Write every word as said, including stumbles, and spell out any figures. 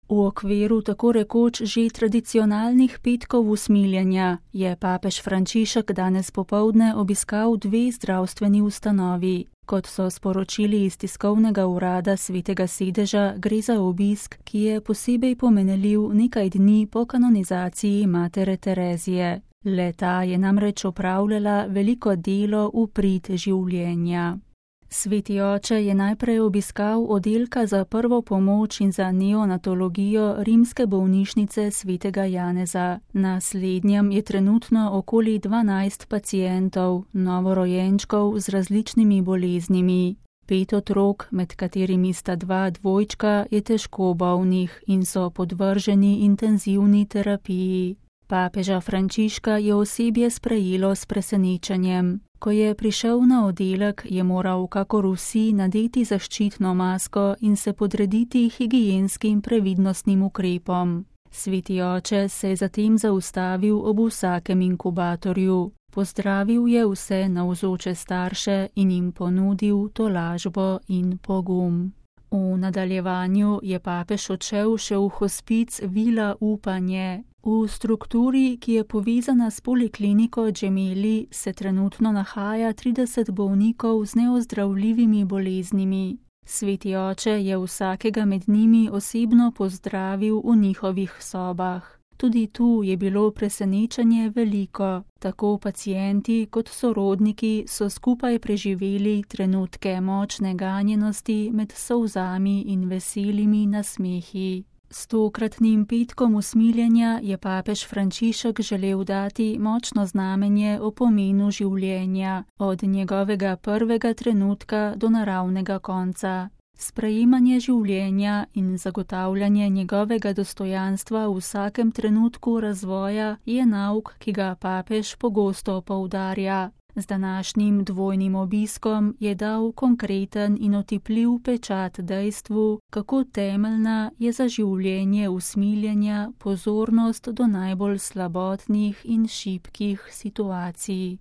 V okviru tako rekoč že tradicionalnih petkov usmiljenja je papež Frančišek danes popoldne obiskal dve zdravstveni ustanovi. Kot so sporočili iz tiskovnega urada Svetega sedeža, gre za obisk, ki je posebej pomenljiv nekaj dni po kanonizaciji matere Terezije. Le-ta je namreč opravljala veliko delo v prid življenja. Sveti oče je najprej obiskal oddelka za prvo pomoč in za neonatologijo rimske bolnišnice Svetega Janeza. Na slednjem je trenutno okoli dvanajst pacientov, novorojenčkov z različnimi boleznimi. Pet otrok, med katerimi sta dva dvojčka, je težko bolnih in so podvrženi intenzivni terapiji. Papeža Frančiška je osebje sprejelo s presenečenjem. Ko je prišel na oddelek, je moral kakor vsi nadeti zaščitno masko in se podrediti higienskim previdnostnim ukrepom. Sveti oče se je zatem zaustavil ob vsakem inkubatorju. Pozdravil je vse navzoče starše in jim ponudil tolažbo in pogum. V nadaljevanju je papež odšel še v hospic Vila Upanje. V strukturi, ki je povezana s polikliniko Gemelli, se trenutno nahaja trideset bolnikov z neozdravljivimi boleznimi. Sveti oče je vsakega med njimi osebno pozdravil v njihovih sobah. Tudi tu je bilo presenečenje veliko. Tako pacienti kot sorodniki so skupaj preživeli trenutke močne ganjenosti med solzami in veselimi nasmehi. S tokratnim petkom usmiljenja je papež Frančišek želel dati močno znamenje o pomenu življenja, od njegovega prvega trenutka do naravnega konca. Sprejemanje življenja in zagotavljanje njegovega dostojanstva v vsakem trenutku razvoja je nauk, ki ga papež pogosto poudarja. Z današnjim dvojnim obiskom je dal konkreten in otipljiv pečat dejstvu, kako temeljna je za življenje usmiljenja pozornost do najbolj slabotnih in šibkih situacij.